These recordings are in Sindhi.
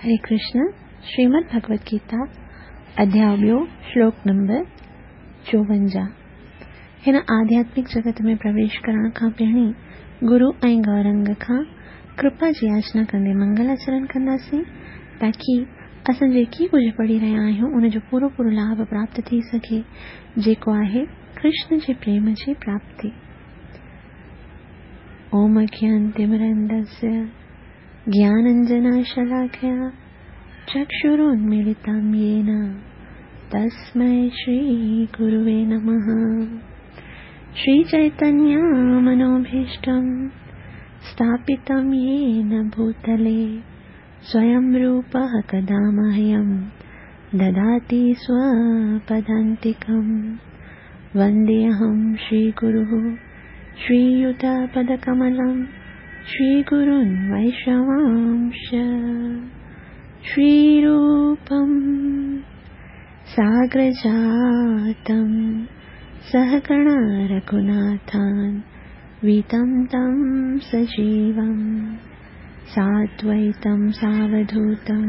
هري ڪرشن، شريمد ڀڳوت گيتا، اڌياء ٻيو، شلوڪ نمبر 54. هن آڌياتمڪ جڳت ۾ پرويش ڪرڻ کان پهرين گرو ۽ گورنگ کان ڪرپا جي ياچنا ڪندي منگل آچرڻ ڪنداسين تاڪي اسان جيڪي ڪجهه پڙهي رهيا آهيون ان جو پورو پورو لاڀ پراپت ٿي سگهي جيڪو آهي ڪرشن جي پريم جي پراپتي. اوم اگيانتمرندسيا گيانانجناشلاکيا چڪشرونميلتم يين تسمي شري گروي نمه. شري چيتنيه منوڀيشٽم اسٿاپتم يين ڀوتلي سويم روپه ڪدا مهيم دداتي سوپدانتڪم. ونديهم شري گروه شرييتپدڪملم شري گرون ويشنوانش. شري روپم ساگرجاتم سهگڻ رघناٿان ويتم تم سجيوم سادويتم ساوڌوتم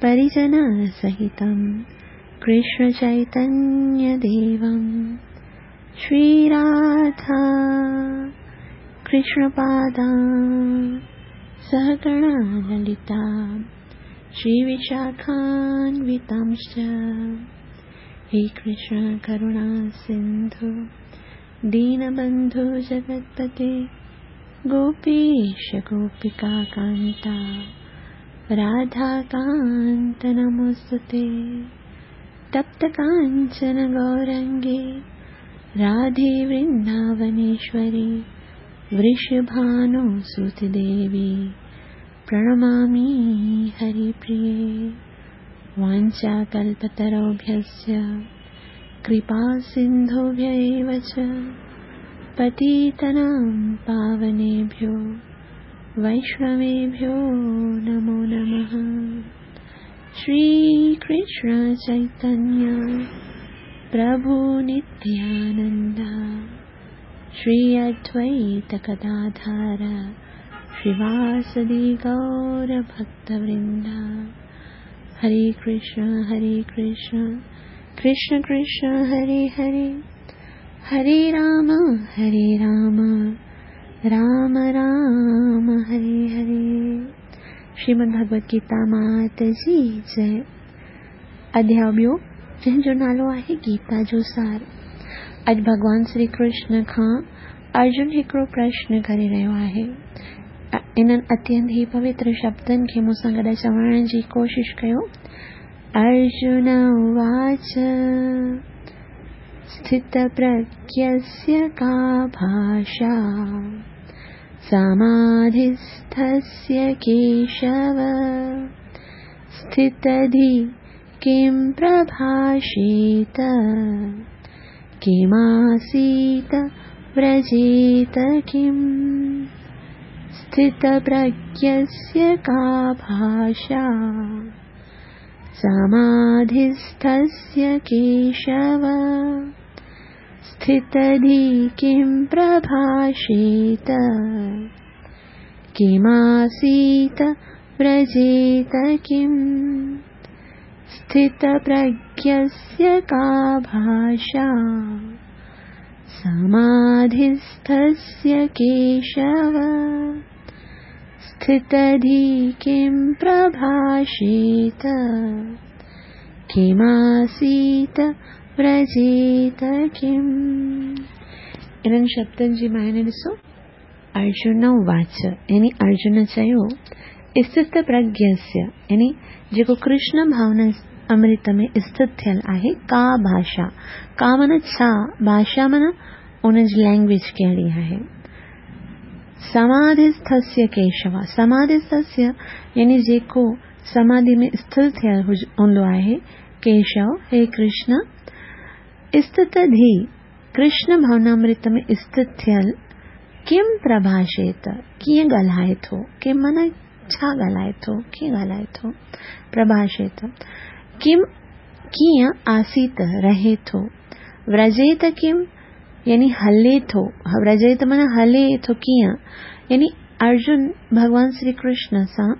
پريجن سهتم ڪرشن چيتنيه ديوم. شري راڌا ڪرشن پادا سهگڻ للتا شري وشاکانوتامش. هي ڪرشن ڪرڻا سنڌو دينبنڌو جگتپتي گوپيش گوپيڪا ڪانتا راڌا ڪانت نموستي. تپت ڪانچن گورنگي راڌي ورنداونيشوري ورشڀانو سوت ديوي پرڻمامي هريپريي. وانچا ڪلپتروڀيشچ ڪرپا سنڌوڀيا ايو چ پتيتنام پاونيڀيو ويشنويڀيو نمو نمه. شري ڪرشن چيتنيه پرڀو نتيانند شري ادويت گداڌر شريواسدي گور ڀڪت ورند. هري ڪرشن هري ڪرشن ڪرشن ڪرشن هري هري، هري رام هري رام رام رام هري هري. شريمد ڀڳوت گيتا مات جي جئي. اڌياء ٻيو جنهن جو نالو آهي گيتا جو سار. اڄ ڀڳوان شري ڪرشن کان ارجن هڪڙو پرشن ڪري رهيو آهي. انهن اتينت ئي پوتر شبدن کي مون سان گڏ چوڻ جي ڪوشش ڪيو. ارجن اواچ اسٿت پرگيسيه ڪا ڀاشا سماڌسٿسيه ڪيشو اسٿتڌي ڪم پرڀاشيت ڪماسيت ورجيت ڪم. اسٿت پرگيسيه ڪا ڀاشا سماڌسٿسيه ڪيشو اسٿتڌي ڪم پرڀاشيت ڪماسيت ورجيت ڪم. اسٿت پرگيسيه ڪا ڀاشا سماڌسٿسيه ڪيشو اسٿتڌي ڪم پرڀاشيت ڪماسيت ورجيت ڪم. انهن شبدن جي معني ڏسو. ارجن واچ يعني ارجن چيو، اسٿت پرگيسيه يعني جيڪو ڪرشن ڀاونا امرت ۾ اسٿت ٿيل آهي، ڪا ڀاشا، ڪا معنيٰ ڇا، ڀاشا معنيٰ ان جي لينگويج ڪهڙي آهي. سماڌسٿسيه ڪيشو، سماڌسٿسيه يعني جيڪو سماڌي ۾ اسٿر ٿيل هوندو آهي، ڪيشو هي ڪرشن، اسٿت ڌي ڪرشن ڀاونامرت ۾ اسٿت ٿيل، ڪم پرڀاشيت ڪيئن ڳالهائي ٿو، ڪم معنيٰ ڇا ڳالهائي ٿو، ڪيئن ڳالهائي ٿو، پرڀاشيت ڪم ڪيئن آسيت رهي ٿو، ورجيت ڪم يعني هلي ٿو، ورجيت معنيٰ هلي ٿو ڪيئن، يعني ارجن ڀڳوان شري ڪرشن سان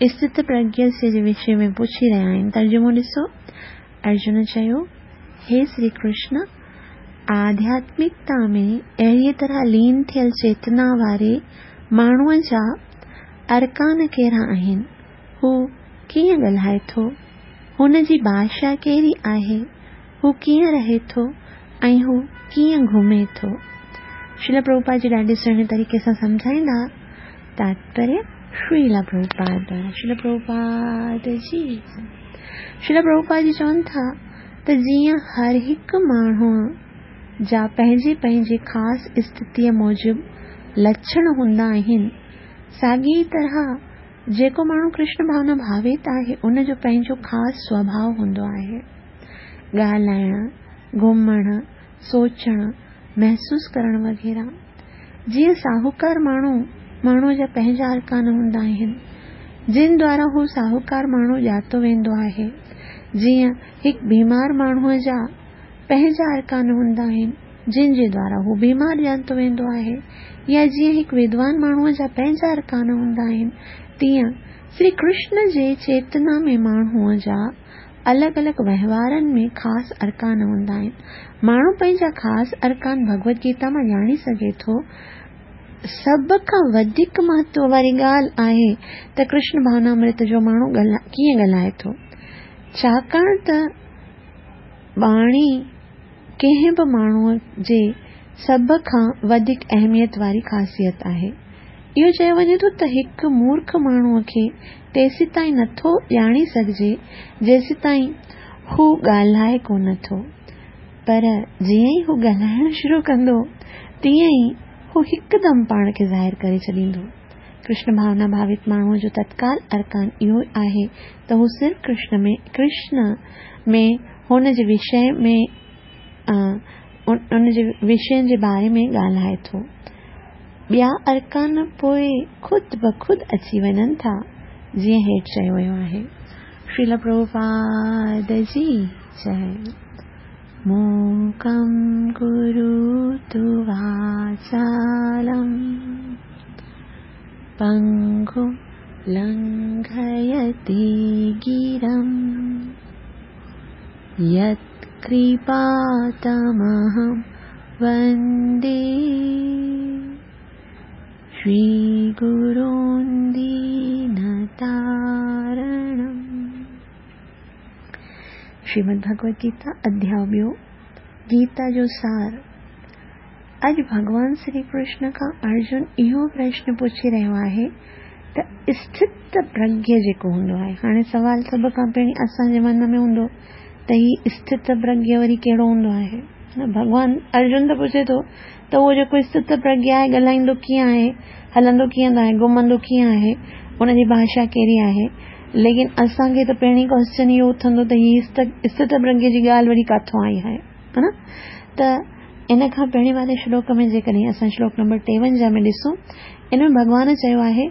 اسٿت پرگيسيه جي وشي ۾ پڇي رهيا آهن. ترجمو ڏسو، ارجن چيو، هي شري ڪرشن! آڌياتمڪتا ۾ اهڙيء طرح لين ٿيل چيتنا واري ماڻهوء جا ارڪان ڪهڙا آهن؟ هو ڪيئن ڳالهائي ٿو؟ هن جي ڀاشا ڪهڙي آهي؟ هو ڪيئن رهي ٿو ۽ هو ڪيئن گهمي ٿو؟ شريلا پرڀوپاد جي ڏاڍي سهڻي طريقي سان سمجهائيندا. تاتپريه شريلا پرڀوپاد دوارا شريلا پرڀوپاد جي شريلا پرڀوپاد جي چون ٿا ته جيئن هر هڪ ماڻهوء جا پنهنجي پنهنجي خاص اسٿتيء موجب لڇڻ هوندا آهن، ساڳيء طرح جيڪو ماڻهو ڪرشن ڀاونا ڀاوت آهي، ان جو پنهنجو خاص سوڀاء هوندو آهي. ڳالهائڻ، گهمڻ، سوچڻ، محسوس ڪرڻ وغيره. جيئن ساهوڪار ماڻهو، ماڻهوء جا پنهنجا ارڪان هوندا آهن، جن دوارا هو ساهوڪار ماڻهو ڄاتو ويندو آهي. جيئن هڪ بيمار ماڻهوء جا پنهنجا ارڪان هوندا آهن، جن جي دوارا هو بيمار ڄاتو ويندو آهي يا جيئن هڪ ودوان ماڻهوء جا پنهنجا ارڪان هوندا آهن، تيئن شري ڪرشن جي چيتنا ۾ ماڻهوء جا الڳ الڳ وهنوارن ۾ خاص ارڪان هوندا آهن. ماڻهو پنهنجا خاص ارڪان ڀڳوت گيتا مان ڄاڻي سگهي ٿو. سڀ کان وڌيڪ مهتو واري ڳالهه آهي ته ڪرشن ڀاونامرت جو ماڻهو ڪيئن ڳالهائي ٿو. ڇاڪاڻ ته ٻاڻي ڪنهن به ماڻهوء جي سڀ کان وڌيڪ اهميت واري خاصيت آهي. اهو چيو وڃي ٿو ته هڪ مورک ماڻهوء کي تيسيتائين نٿو ڄاڻي سگهجي، جيسيتائين هو ڳالهائي ڪونه ٿو. پر جيئن ئي هو ڳالهائڻ شروع ڪندو، تيئن ئي هو هڪدم پاڻ کي ظاهر ڪري ڇڏيندو. ڪرشن ڀاونا ڀاوت ماڻهوء جو تتڪال ارڪان اهو آهي ته هو صرف ڪرشن ۾ ڪرشن ۾ هن جي وشي ۾ ان جي وشين جي باري ۾ ڳالهائي ٿو. ٻيا ارڪان پوء خود بخود اچي وڃن ٿا، جيئن هيٺ چيو ويو آهي. شريلا پرڀوپاد جي جئي. موڪم ڪروتو واچالم پنگم لنگهيتي گرم يتڪرپا تمهم وندي شري گرون دينتارڻم. شريمد ڀڳوت گيتا اڌياء ٻيو، گيتا جو سار. اڄ ڀڳوان شري ڪرشن کان ارجن اهو پرشن پڇي رهيو آهي ته اسٿت پرگيه جيڪو هوندو آهي، هاڻي سوال سڀ کان پهرين اسان جي من ۾ هوندو ته هي اسٿت پرگيه وري ڪهڙو هوندو آهي؟ ڀڳوان ارجن ته پڇي ٿو ته اهو جيڪو اسٿت پرگيه آهي ڳالهائيندو ڪيئن آهي، هلندو ڪيئن آهي، گهمندو ڪيئن آهي، ان جي ڀاشا ڪهڙي آهي؟ ليڪن اسان کي ته پهرين ڪوئسچن اهو اٿندو ته هي اسٿت پرگيه جي ڳالهه وري ڪاٿو آئي آهي نه؟ ته ان کان پهرين واري شلوڪ ۾ جيڪڏهن اسان شلوڪ نمبر 53 ۾ ڏسون، ان ۾ ڀڳوان چيو آهي،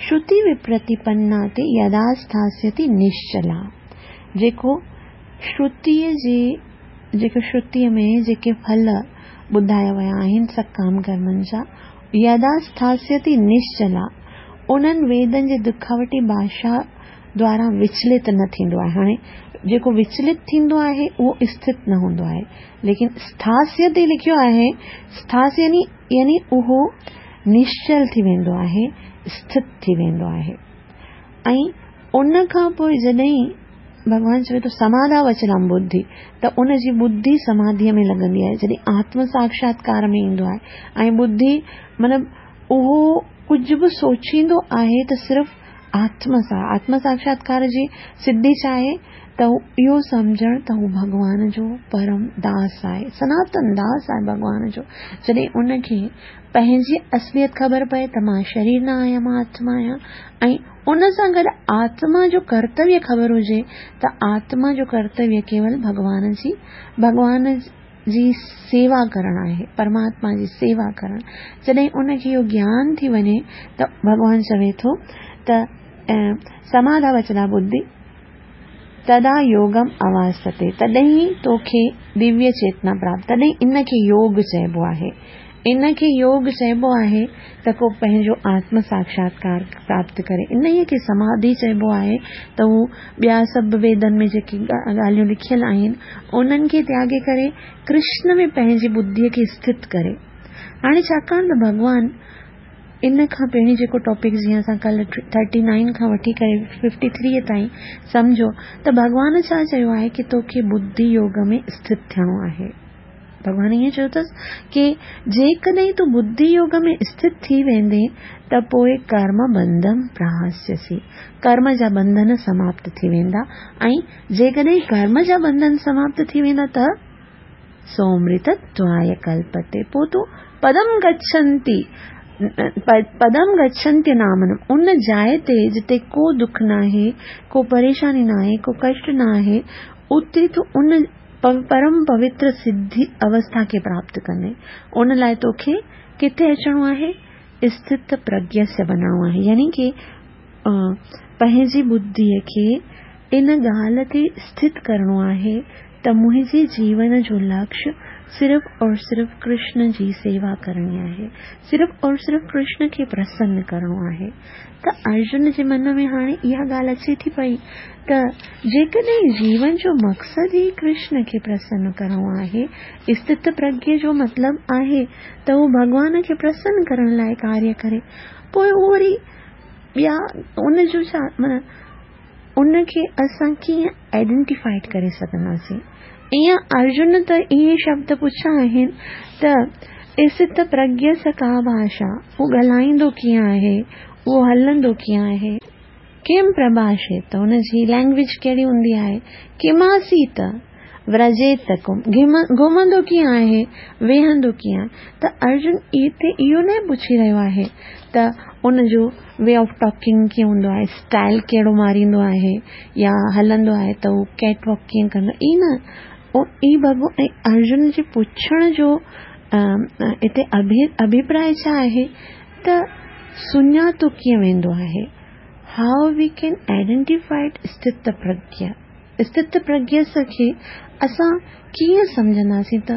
شروتي وپرتيپنا تي يدا اسٿاسيتي نشچلا، جيڪو شروتيء جي جيڪو شروتيء ۾ جيڪي ڦل ٻڌايا ويا آهن سڪام ڪرمن جا، يدا اسٿاسيتي نشچلا، انهن ويدن جي دکاوٽي ڀاشا دوارا وچلت نه ٿيندو آهي. هاڻي جيڪو وچلت ٿيندو آهي اهو اسٿت نه هوندو آهي، ليڪن اسٿاسيتي لکيو آهي، اسٿاس يعني يعني اهو نشچل ٿي ويندو آهي، اسٿت ٿي ويندو آهي. ۽ ان کان پوء جڏهن ڀڳوان چوي ٿو سماڌا وچلام ٻڌي ته ان جي ٻڌي سماڌيء ۾ لڳندي آهي، جڏهن آتم ساڪشاتڪار ۾ ايندو آهي ۽ ٻڌي مطلب اهو ڪجهه به سوچيندو آهي ته صرف آتم سان، آتم ساڪشاتڪار جي سڌي ڇا آهي ته اهو سمجهڻ ته هو ڀڳوان جو پرم داس آهي، سناتن داس آهي ڀڳوان جو. جڏهن ان کي پنهنجي اصليت خبر پئي ته مان شرير نه آهيان مان آتما آهيان ۽ ان سان گڏ آتما جو ڪرتويه خبر هجي ته آتما جو ڪرتويه ڪيول ڀڳوان جي ڀڳوان جي سيوا ڪرڻ آهي، پرماتما جي سيوا ڪرڻ. جڏهن ان کي اهو گيان ٿي وڃي ته ڀڳوان چوي ٿو ته سماڌا وچلا ٻڌي تدا يوگم اواستي، تڏهن ئي توکي دويه چيتنا پراپت، تڏهن ان کي يوگ چئبو آهي. ان کي يوگ چئبو آهي ته ڪو پنهنجو آتم ساڪشاتڪار پراپت ڪري. انهيء کي سماڌي چئبو آهي ته هو ٻيا سڀ ويدن ۾ جيڪي ڳالهيون لکيل آهن، انهن کي تياڳي ڪري ڪرشن ۾ پنهنجي ٻڌيء کي اسٿت ڪري. هاڻي ڇاڪاڻ ته ڀڳوان ان کان پهرين جيڪو ٽاپڪ جيئن اسان ڪلهه ٿرٽي نائن کان وٺي ڪري ففٽي ٿريء تائين سمجهيو ته ڀڳوان ڇا چيو آهي ڪي توکي ٻڌي يوگ ۾ اسٿت ٿيڻو آهي. ڀڳوان ائين چيو اٿس ڪي جيڪڏهن تون ٻڌي يوگ ۾ اسٿت ٿي ويندين ته پوء ڪرم بنڌم پراهسيسي، ڪرم جا ٻنڌن سماپت ٿي ويندا ۽ جيڪڏهن ڪرم جا ٻنڌن سماپت ٿي ويندا ته سومرتتواي ڪلپتي پوء تون پدم گڇنتي پدم گڇنتي نامنم ان جاء تي جتي ڪو دک ناهي، ڪو پريشاني ناهي، ڪو ڪشٽ ناهي، اتي تون ان پرم پوتر سڌي اوسٿا کي پراپت ڪندين. ان لاء توکي ڪٿي اچڻو آهي؟ اسٿت پرگيسيه بنڻو آهي يعني ڪي پنهنجي ٻڌيء کي ان ڳالهه تي اسٿت ڪرڻو آهي ته منهنجي جيون جو لڪش صرف اور صرف ڪرشن جي سيوا ڪرڻي آهي، صرف اور صرف ڪرشن کي پرسن ڪرڻو آهي. ته ارجن جي من ۾ هاڻي اها ڳالهه اچي ٿي پئي ته جيڪڏهن جيون جو مقصد ئي ڪرشن کي پرسن ڪرڻو آهي، اسٿت پرگيه جو مطلب آهي ته هو ڀڳوان کي پرسن ڪرڻ لاء ڪاريه ڪري، پوء هو وري ٻيا ان جو ڇا معنيٰ ان کي اسان ڪيئن آئيڊنٽيفائيڊ ڪري سگهنداسين؟ ايئن ارجن ته اهي شبد پڇيا آهن ته اسٿت پرگيس ڪا ڀاشا، هو ڳالهائيندو ڪيئن آهي، اهو هلندو ڪيئن آهي؟ ڪم پرڀاشيت، ان جي لينگويج ڪهڙي هوندي آهي؟ ڪماسيت، ورجيت ڪم، گهمندو ڪيئن آهي، ويهندو ڪيئن آهي؟ ته ارجن هتي اهو نه پڇي رهيو آهي ته ان جو وي آف ٽاڪنگ ڪيئن هوندو آهي، اسٽائل ڪهڙو ماريندو آهي يا هلندو آهي ته هو ڪيٽ واڪ ڪيئن ڪندو آهي، نه اي بابو ۽ ارجن جي پڇڻ جو هتي اڀيپراء ڇا آهي ته سڃاتو ڪيئن ويندو آهي، هائو وي ڪين آئيڊينٽيفائيڊ استت پرگيا. استت پرگيس کي اسان ڪيئن سمجهنداسين ته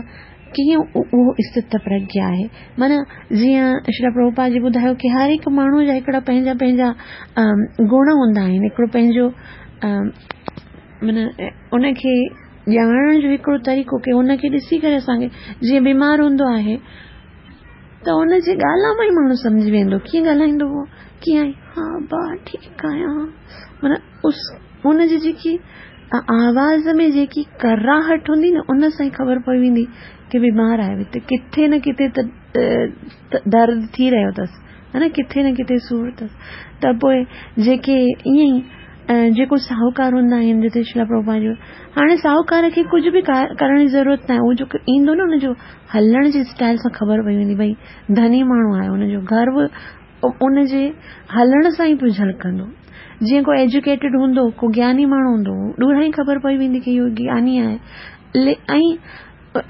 ڪيئن اهو استت پرگيا آهي؟ معنيٰ جيئن شريلا پرڀوپاد جي ٻڌايو ڪي هر هڪ ماڻهوء جا هڪڙا پنهنجا پنهنجا گڻ هوندا آهن، هڪڙو پنهنجو معنيٰ ان کي ڄاڻڻ جو هڪڙو طريقو ڪي ان کي ڏسي ڪري اسان کي جيئن بيمار هوندو آهي ته ان جي ڳالهه مان ئي ماڻهو سمجهي ويندو ڪيئن ڳالهائيندو هو ڪيئن آهين ها با ٺيڪ آهيان معنيٰ اس ان جي جيڪي آواز ۾ جيڪي ڪراهٽ هوندي نه ان سان ئي خبر پئي ويندي ڪي بيمار آهي ته ڪٿي نه ڪٿي ته درد ٿي رهيو اٿس ها نه ڪٿي نه ڪٿي سور اٿس ته پوء جيڪي ائين ئي جيڪو ساهوڪار هوندا آهن جتي شريلا پرڀوپاد جو هاڻي ساهوڪار کي ڪجهه به ڪرڻ جي ضرورت ناهي هو جيڪو ايندو نه ان جو هلڻ جي اسٽائل سان خبر پئي ويندي ڀئي ڌني ماڻهو آهي ان جو گهر به ان جي هلڻ سان ئي پيو جهلڪندو. جيئن ڪو ايجوڪيٽيڊ هوندو، ڪو گياني ماڻهو هوندو، ڏوران ئي خبر پئي ويندي ڪي اهو گياني آهي. ۽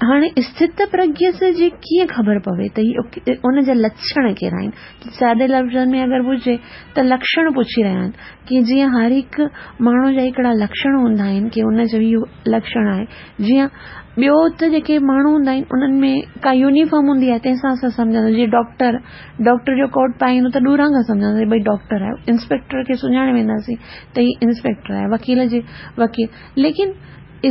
هاڻي اسٿت پرگيس جي ڪيئن خبر پوي ته هي ان جا لڇڻ ڪهڙا آهن؟ سادي لفظن ۾ اگر پڇجي ته لڪشڻ پڇي رهيا آهن ڪي جيئن هر هڪ ماڻهو جا هڪڙا لڪشڻ هوندا آهن ڪي ان جو اهو لڪشڻ آهي جيئن ٻيو ته جيڪي ماڻهو هوندا آهن انهن ۾ ڪا يونيفارم هوندي آهي تنهن سان اسان سمجهندا جيئن ڊاڪٽر ڊاڪٽر جو ڪوٽ پائي ايندو ته ڏوران کان سمجهنداسين ڀئي ڊاڪٽر آهي انسپيڪٽر کي سڃاڻي وينداسين ته هي انسپيڪٽر آهي وڪيل جي وڪيل ليڪن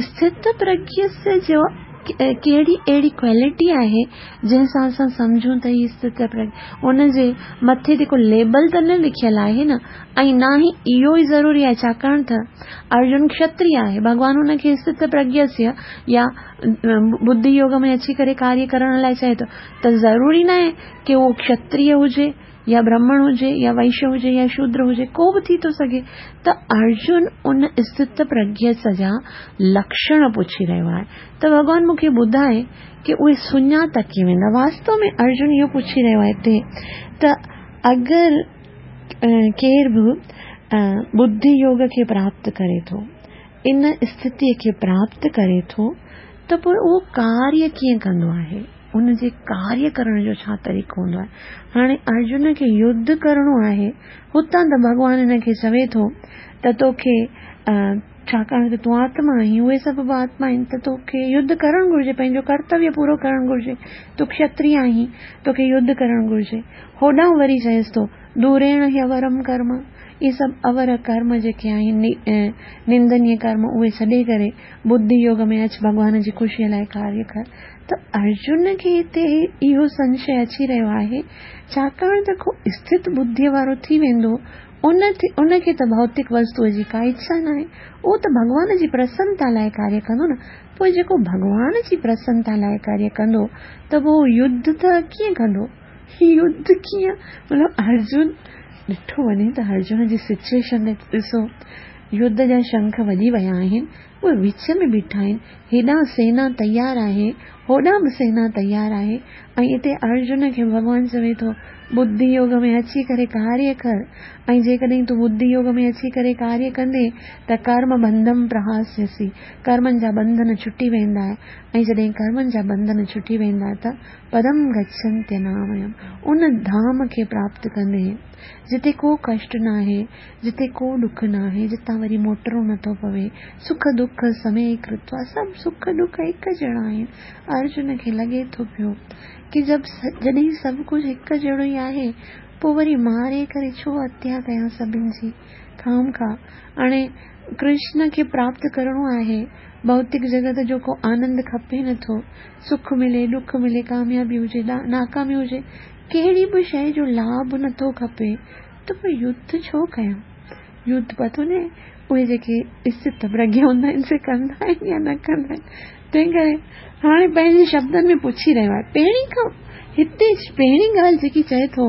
اسٿت پرگيس جو ڪهڙي اهڙي ڪوالٽي آهي جنهن سان اسان سمجهون ته هي اسٿت پرگيه ان جي مٿي تي ڪو ليبل ته نه لکيل آهي نه ۽ نه ئي اهو ئي ضروري آهي ڇاڪاڻ ته ارجن کشتري آهي ڀڳوان ان کي اسٿت پرگيسيه يا ٻڌي يوگ ۾ اچي ڪري ڪاريه ڪرڻ لاء چئي ٿو ته ضروري ناهي ڪي اهو کشتري هجي يا برهمڻ هجي يا وئشيه هجي يا شودر هجي ڪو به ٿي ٿو سگهي ته ارجن ان اسٿت پرگيس جا لڪشڻ پڇي رهيو آهي ته ڀڳوان مون کي ٻڌائي ڪي اهي سڃاتا ڪيئن ويندا واستو ۾ ارجن اهو پڇي رهيو آهي هتي ته اگر ڪير به ٻڌي يوگ کي پراپت ڪري ٿو ان اسٿتي کي پراپت ڪري ٿو ته پوء اهو ڪاريه ڪيئن ڪندو آهي ان جي ڪاريه ڪرڻ جو ڇا طريقو هوندو آهي؟ هاڻي ارجن کي يڌ ڪرڻو آهي، هتان ته ڀڳوان هن کي چوي ٿو ته توکي ڇاڪاڻ ته تون آتما آهين، اهي سڀ به آتما آهن ته توکي يڌ ڪرڻ گهرجي، پنهنجو ڪرتويه پورو ڪرڻ گهرجي، تون کشتريه آهين، توکي يڌ ڪرڻ گهرجي. هوڏانهن وري چئيس ٿو، دوريڻ هيورم ڪرم، اهي سڀ اور ڪرم جيڪي آهن، نندنيه ڪرم، اهي ڇڏي ڪري ٻڌي يوگ ۾ اچ، ڀڳوان جي خوشيء لاء ڪاريه ڪر. ته ارجن کي هتي اهو سنشي اچي رهيو آهي، ڇاڪاڻ ته ڪو اسٿت ٻڌيء وارو ٿي ويندو، ان ان کي ته ڀوتڪ وستوء جي ڪا اڇا ناهي، اهو ته ڀڳوان جي پرسنتا لاء ڪاريه ڪندو نه، پوء جيڪو ڀڳوان جي پرسنتا لاء ڪاريه ڪندو ته پوء اهو يڌ ته ڪيئن ڪندو؟ يڌ ڪيئن؟ مطلب ارجن ڏٺو وڃي ته ارجن جي سچوئيشن ڏسو، يڌ جا شنک وڄي ويا آهن، اهي وچ ۾ بيٺا آهن، هيڏانهن سينا تيار آهي، هوڏانهن به سينا تيار آهي ۽ اتي ارجن کي ڀڳوان چوي ٿو، ٻڌي يوگ ۾ اچي ڪري ڪاريه ڪر ۽ جيڪڏهن تون ٻڌي يوگ ۾ اچي ڪري ڪاريه ڪندين ته ڪرم بنڌم پرهاسيسي، ڪرمن جا ٻنڌن ڇٽي ويندا ۽ جڏهن ڪرمن جا ٻنڌن ڇٽي ويندا ته پدم گڇنتيناميم، ان ڌام کي پراپت ڪندين، جتي ڪو ڪشٽ ناهي، جتي ڪو ڏک ناهي، جتان وري موٽڻو نٿو پوي، سک ڏک سمي ڪرتوا، سڀ سک ڏک هڪ جهڙا آهن. ارجن کي لڳي ٿو پيو ڪي جب جڏهن سڀ ڪجهه هڪ جهڙو ئي آهي، پوء وري ماري ڪري ڇو هتيا ڪيان سڀن جي؟ خامخواه هاڻي ڪرشن کي پراپت ڪرڻو آهي، ڀوتڪ جڳت جو ڪو آنند کپي نٿو، سک ملي، ڏک ملي، ڪاميابي هجي، ناڪامي هجي، ڪهڙي به شيء جو لاڀ نٿو کپي، ته پوء يڌ ڇو ڪيان؟ يڌ پتو ناهي اهي جيڪي اسٿت پرگيا هوندا آهن سي ڪندا آهن يا نه ڪندا آهن. تنهن ڪري هاڻي پنهنجي شبدن ۾ پڇي رهيو آهي. پهرين کان هتي پهرين ڳالهه جيڪي چئي ٿو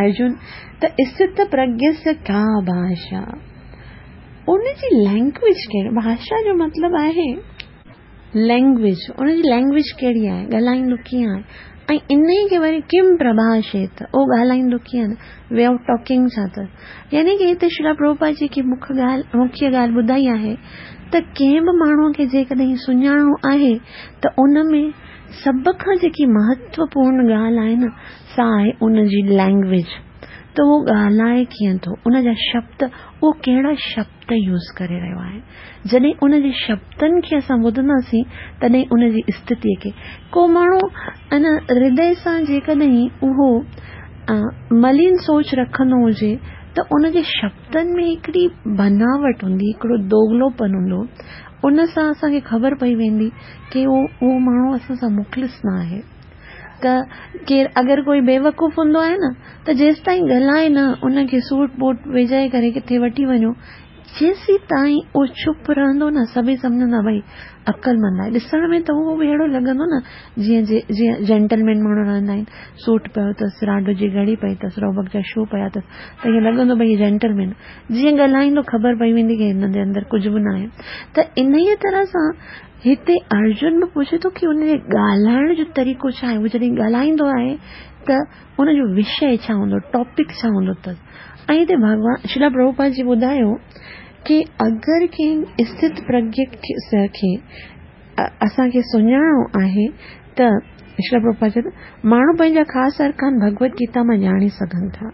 ارجن ته اسٿت پرگيس ڪا ڀاشا، ان جي لينگويج ڪهڙي، ڀاشا جو مطلب آهي لينگويج، ان جي لينگويج ڪهڙي آهي، ڳالهائيندو ڪيئن آهي ۽ انهي کي وري ڪم پرڀاشيت، اهو ڳالهائيندو ڪيئن، وي آف ٽاڪنگ ڇا اٿس. يعني ڪي هتي شريلا پرڀوپاد جيڪي مکيه ڳالهه ٻڌائي آهي ته ڪنهن به ماڻهوء کي جيڪڏهن سڃاڻڻو آهي ته ان ۾ سڀ کان جيڪي مهتوپورن ڳالهه آهي نه سا آهي ان جي لينگويج، ته اهو ڳالهائي ڪيئن ٿو، ان جا شبد، اهو ڪهڙا شبد يوز ڪري رهيو آهي. جڏهن ان جي شبدن کي اسان ٻڌنداسين تڏهن ان جي استٿيء کي ڪو ماڻهو ان هردي سان جيڪڏهن اهو ملين سوچ رکندو هجي ته ان جي شبدن ۾ هڪڙي بناوٽ هوندي، هڪڙو دوغلوپن هوندو، ان سان اسان کي خبر پئي ويندي ڪي اهو ماڻهو اسان سان مخلص نه آهي. ته ڪير اگر ڪوئي بيوقوف هوندو آهي نه ته جيستائين ڳالهائي نه ان کي سوٽ بوٽ وجهائي ڪري ڪٿي وٺي وڃو جيسيتائين اهو چپ رهندو نه سڀئي سمجهندا ڀئي عقلمند آهي ڏسڻ ۾ ته اهو به اهڙو لڳندو نه جيئن جيئن جينٽلمين ماڻهو رهندا آهن سوٽ پيو اٿس راڊو جي گهڙي پئي اٿس روبڪ جا شو پيا اٿس ته ائين لڳندو ڀئي جينٽلمين جيئن ڳالهائيندو خبر پئي ويندي ڪي هن جي اندر ڪجهه به نه آهي ته انهيء طرح سان هتي ارجن به پڇي ٿو ڪي ان جي ڳالهائڻ جو طريقو ڇا آهي؟ هو جڏهن ڳالهائيندو آهي ته ان جو وشيه ڇا هوندو، ٽاپڪ ڇا هوندو اٿس؟ ۽ هتي ڀڳوان شريلا پرڀوپاد جي ٻڌايو ڪي اگر ڪنهن اسٿت پرگيه کي اسان کي سڃاڻڻو آهي ته شريلا پرڀوپاد چيو ته ماڻهو پنهنجا خاص ارڪان ڀڳوت گيتا مان ڄاڻي سگهن ٿا.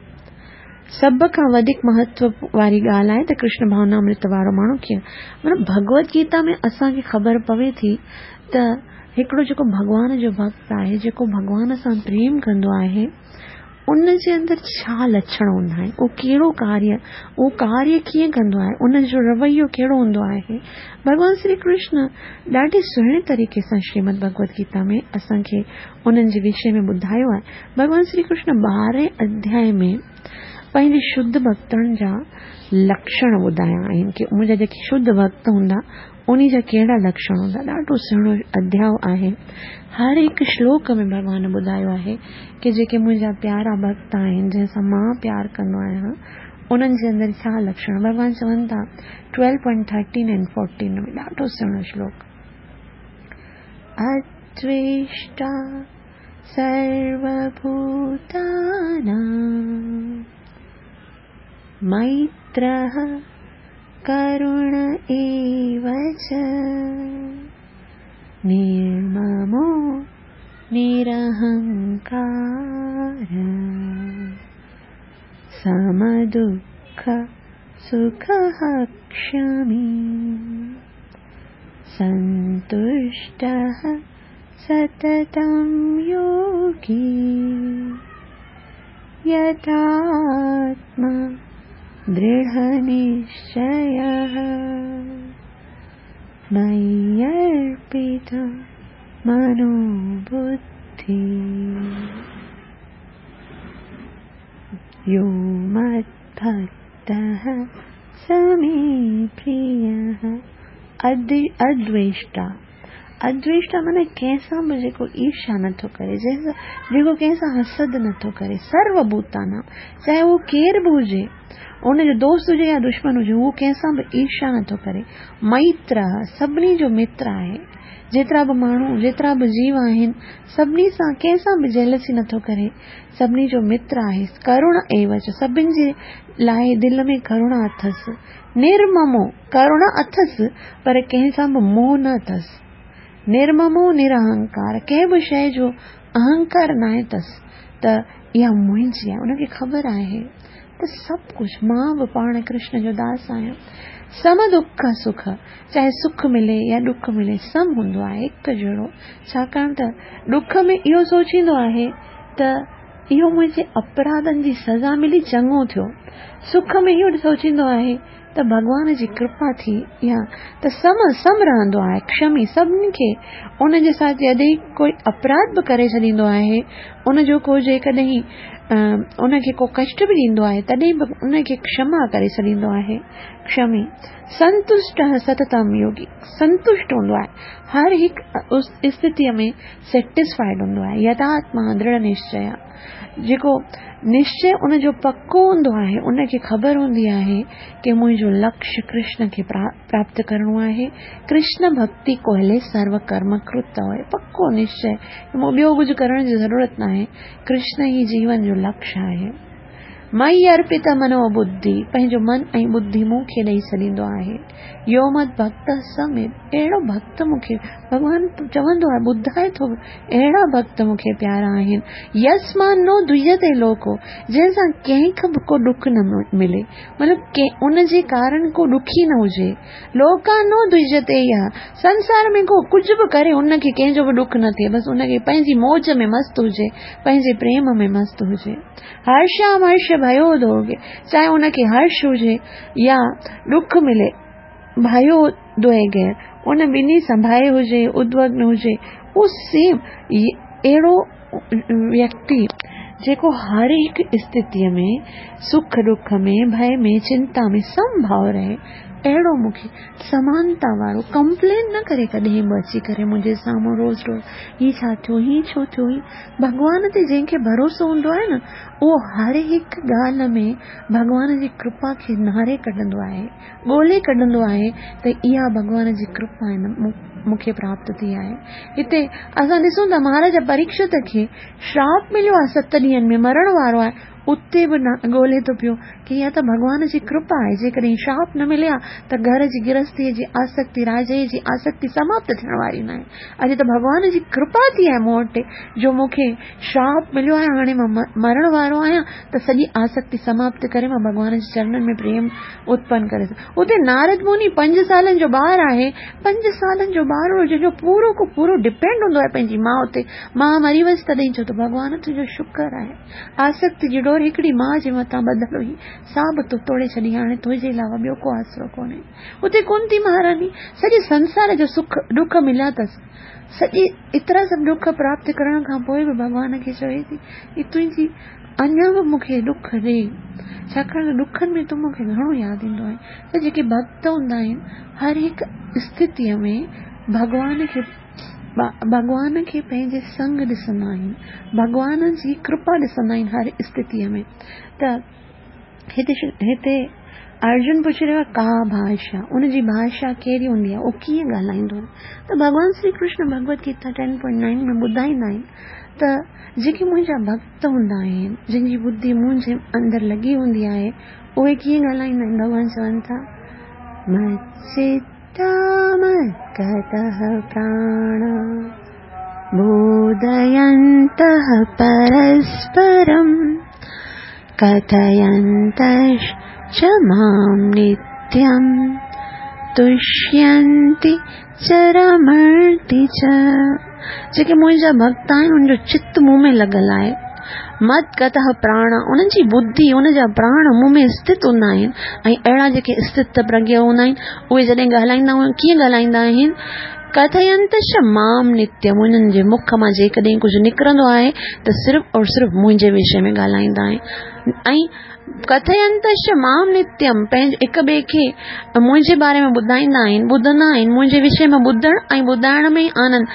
سڀ کان وڌيڪ مهتو واري ڳالهه آهي ته ڪرشن ڀاونامرت وارو ماڻهو ڪيئن مطلب ڀڳوت گيتا ۾ اسان کي خبر پوي ٿي ته هڪڙو جيڪو ڀڳوان جو ڀڳت آهي جيڪو ڀڳوان سان پريم ڪندو آهي ان جي اندر ڇا لڇڻ هوندا آهن اهو ڪهڙو ڪاريه اهو ڪاريه ڪيئن ڪندو آهي ان جو رويو ڪهڙو هوندو آهي ڀڳوان شري ڪرشن ڏاڍي سهڻي طريقي سان شريمد ڀڳوت گيتا ۾ اسان کي انهن جي وشي ۾ ٻڌايو آهي. ڀڳوان شري ڪرشن ٻارهين اڌيائي ۾ پنهنجي شڌ ڀڳتن جا لڪشڻ ٻڌايا آهن ڪي منهنجا جيڪي شڌ ڀڳت هوندا انهي جا ڪهڙا لڪشڻ هوندا. ڏاڍو سهڻو اڌياء آهي. هر هڪ شلوڪ ۾ ڀڳوان ٻڌايو آهي ڪي جيڪي منهنجا پيارا ڀڳت آهن جنهن سان مان پيار ڪندو آهيان انهن جي اندر ڇا لڪشڻ. ڀڳوان چون ٿا twelve point thirteen and fourteen ۾ ڏاڍو سهڻو شلوڪ. ادويشٽا سروڀوتانام ميترः ڪروڻ ايو چ نرممو نرهنڪار سمدک सुखः क्षमी सन्तुष्टः सततं योगी यतात्मा दृढनिश्चयः मय्यर्पित मनोबुद्धि यो मद्भक्तः स मे प्रियः। अद्वेष्टा, अद्वेष्टा माना कंहिंसां बि जेको ईर्ष्या नथो करे, जेको कंहिंसां हसद नथो करे, सर्वभूतानां, चाहे उहो केरु बि हुजे, उनजो दोस्त हुजे या दुश्मन हुजे, उहो कंहिंसां बि ईर्ष्या नथो करे। मैत्र, सभिनी जो मित्र आहे, जेतिरा बि माण्हू, जेतिरा बि जीव आहिनि, सभिनी सां कंहिंसां बि जेलसी नथो करे, सभिनी जो मित्र आहे। करुण एवच, सभिनी जे लाइ दिलि में करुणा अथसि। निर्ममो, करुणा अथसि पर कंहिंसां बि मोह न अथसि। निर्ममो निरअहंकार, कंहिं बि शइ जो अहंकार न आहे अथसि, त इहा मुंहिंजी आहे, उनखे ख़बर आहे त सभु कुझु मां बि पाण कृष्ण जो दास आहियां। सम दुख सुख, चाहे सुख मिले या ॾुख मिले, सम हूंदो आहे, हिकु जहिड़ो। छाकाणि त ॾुख में इहो सोचींदो आहे त इहो मुंहिंजे अपराधनि जी सज़ा मिली, चङो थियो। सुख में इहो सोचींदो आहे त भॻवान जी कृपा थी या त सम सम रहंदो आहे। क्षमी, सभिनी खे उनजे साथ जॾहिं कोई अपराध बि करे छॾींदो आहे, उनजो को जेकॾहिं उनखे को कष्ट बि ॾींदो आहे, तॾहिं बि उनखे क्षमा करे छॾींदो आहे। क्षमी संतुष्ट सततम योगी, संतुष्ट हूंदो आहे, हर हिकु स्थितीअ में सेटिस्फाइड हूंदो आहे। यथात्मा दृढ़ निश्चय, जेको निश्चय उनजो पको हूंदो आहे, उनखे ख़बर हूंदी आहे की मुंहिंजो लक्ष्य कृष्ण खे प्राप्त करिणो आहे। कृष्ण भक्ति कोहले सर्व कर्म कृत आहे, पको निश्चय, मूं ॿियो कुझु करण जी ज़रूरत न आहे, कृष्ण ई जीवन जो लक्ष्य आहे। मई अर्पित मनोबुद्धि, पंहिंजो मन ऐं बुद्धि मूंखे ॾेई छॾींदो आहे। यो मद भक्त समेत, अहिड़ो भक्त मूंखे भॻवान चवंदो आहे, ॿुधाए थो, अहिड़ा भक्त मूंखे प्यारा आहिनि। यस्मान नो दुयते लोको, जंहिंसां कंहिंखे बि को ॾुख न मिले, मतिलबु उनजे कारण को ॾुखी न हुजे। लोका नो दुयते या, संसार में को कुझु बि करे उनखे कंहिंजो बि ॾुख न थिए, बसि उनखे पंहिंजी मौज में मस्त हुजे, पंहिंजे प्रेम में मस्त हुजे। हर्षाम हर्ष भयो दोगे, चाहे उनखे हर्ष हुजे या ॾुख मिले, भयो दोए गए, उन ॿिन्ही सां भय हुजे, उद्विग्न हुजे, उहो सेम अहिड़ो व्यक्ति जेको हर हिकु स्थितीअ में, सुख ॾुख में, भय में, चिंता में समभाव रहे, अहिड़ो मूंखे समानता वारो, कंप्लेन न करे कॾहिं बि अची करे मुंहिंजे साम्हूं रोज़ रोज़, हीउ छा थियो, हीउ छो थियो, हीउ। भॻवान ते जंहिंखे भरोसो हूंदो आहे न, उहो हर हिकु ॻाल्हि में भॻवान जी कृपा खे नारे कढंदो आहे, ॻोल्हे कढंदो आहे त इहा भॻवान जी कृपा आहे मूंखे प्राप्त थी आहे। हिते असां ॾिसूं था महाराजा परीक्षित खे श्राप मिलियो आहे, 7 ॾींहंनि में मरण वारो आहे, उते बि ॻोल्हे थो पियो की इहा त भॻवान जी कृपा आहे, जेकॾहिं श्राप न मिले हा त घर जी गृहस्थीअ जी आसक्ति, राजे जी आसक्ति समाप्त थियण वारी न आहे। अॼु त भॻवान जी कृपा थी आहे मूं वटि जो मूंखे श्राप मिलियो आहे, हाणे मां मरण वारो आहियां त सॼी आसक्ति समाप्त करे मां भॻवान जे चरणनि में प्रेम उत्पन्न करे। उते नारद मुनि 5 सालनि जो ॿार आहे, 5 सालनि जो ॿार जंहिंजो पूरो को पूरो डिपेंड हूंदो आहे पंहिंजी माउ ते, मां मरी वयसि तॾहिं चयो त भॻवान तुंहिंजो शुक्र आहे, आसक्ति जी डोर हिकिड़ी माउ जे मथां ॿधल हुई सा बि तो तोड़े छॾी, हाणे तुंहिंजे अलावा ॿियो को आसरो कोन्हे। उते कुंती महारानी सॼे संसार जो सुख ॾुख मिलिया अथसि, सॼी एतिरा सभु ॾुख प्राप्त करण खां पोइ बि भॻवान खे चवे थी की तुंहिंजी अञा बि मूंखे ॾुख ॾे, छाकाणि त ॾुखनि में तूं मूंखे घणो यादि ईंदो आहे। त जेके भक्त हूंदा आहिनि हर हिकु स्थितीअ में भॻवान खे पंहिंजे संग ॾिसंदा आहिनि, भॻवान जी कृपा ॾिसंदा आहिनि हर स्थितीअ में। त हिते अर्जुन पुछी रहियो आहे का भाषा, उनजी भाषा कहिड़ी हूंदी आहे, उहो कीअं ॻाल्हाईंदो आहे। त भॻवान श्री कृष्ण भगवत गीता 10.9 में ॿुधाईंदा आहिनि त जेके मुंहिंजा भक्त हूंदा आहिनि, जिन जी बुद्धि मुंहिंजे अंदरि लॻी हूंदी आहे, उहे कीअं ॻाल्हाईंदा आहिनि। भॻवान चवनि था मच्चित्ता मद्गतः प्राण बोधयन्तः परस्परं कथयन्तश्च च मां नित्यं तुष्यन्ति च रमन्ति च। जेके मुंहिंजा भक्त आहिनि, उन्हनि जो चित मूं में लॻल आहे। मद्गतः प्राण, उन्हनि जी बुद्धि, उन जा प्राण मूं में स्थित हूंदा आहिनि। ऐं अहिड़ा जेके स्थित प्रज्ञ हूंदा आहिनि, उहे जॾहिं ॻाल्हाईंदा आहिनि, कीअं ॻाल्हाईंदा आहिनि? कथयन्तश्च मां नित्यम, उन्हनि जे मुख मां जेकॾहिं कुझु निकिरंदो आहे त सिर्फ़ और सिर्फ़ मुंहिंजे विषय में ॻाल्हाईंदा आहिनि। ऐं कथयन्तश्च मां नित्यम, पंहिंजे हिक ॿिए खे मुंहिंजे बारे में ॿुधाईंदा आहिनि, ॿुधंदा आहिनि, मुंहिंजे विषय में ॿुधण ऐं ॿुधाइण में ई आनंद।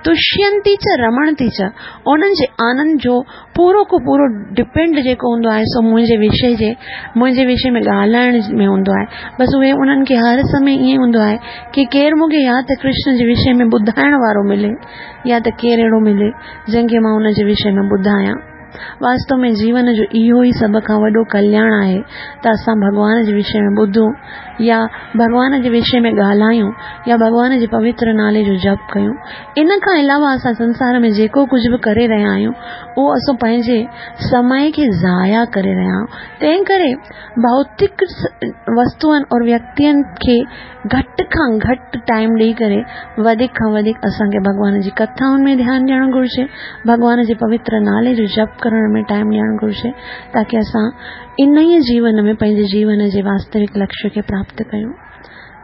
तुष्यन्ति च रमणति च, उन्हनि जे आनंद जो पूरो को पूरो डिपेंड जेको हूंदो आहे सो मुंहिंजे विषय में ॻाल्हाइण में हूंदो आहे। बसि उहे उन्हनि खे हर समय ईअं हूंदो आहे की केरु मूंखे या त कृष्ण जे विषय में ॿुधाइण वारो मिले या त केरु अहिड़ो मिले जंहिंखे मां उन जे विषय में ॿुधायां। वास्तव में जीवन जो इहो ई सभ खां वॾो कल्याण आहे त असां भॻवान जे विषय में ॿुधूं या भॻवान जे विषय में ॻाल्हायूं या भॻवान जे पवित्र नाले जो जप कयूं। इन खां अलावा असां संसार में जेको कुझु बि करे रहिया आहियूं उहो असां पंहिंजे समय खे ज़ाया करे रहिया आहियूं। तंहिं करे भौतिक वस्तुअनि और व्यक्तियुनि खे घटि खां घटि टाइम ॾेई करे वधीक खां वधीक असांखे भॻवान जी कथाउनि में ध्यानु ॾियणु घुरिजे, भॻवान जे पवित्र नाले जो जप करण में टाइम ॾियणु घुरिजे, ताकी असां इन ई जीवन में पंहिंजे जीवन जे वास्तविक लक्ष्य खे प्राप्त कयूं।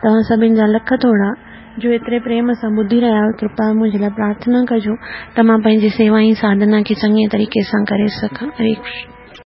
तव्हां सभिनी जा लख थोरा जो एतिरे प्रेम सां ॿुधी रहिया आहियो। कृपा मुंहिंजे लाइ प्रार्थना कजो त मां पंहिंजी सेवा ऐं साधना खे चङे तरीक़े सां करे सघां। हरे कृष्ण।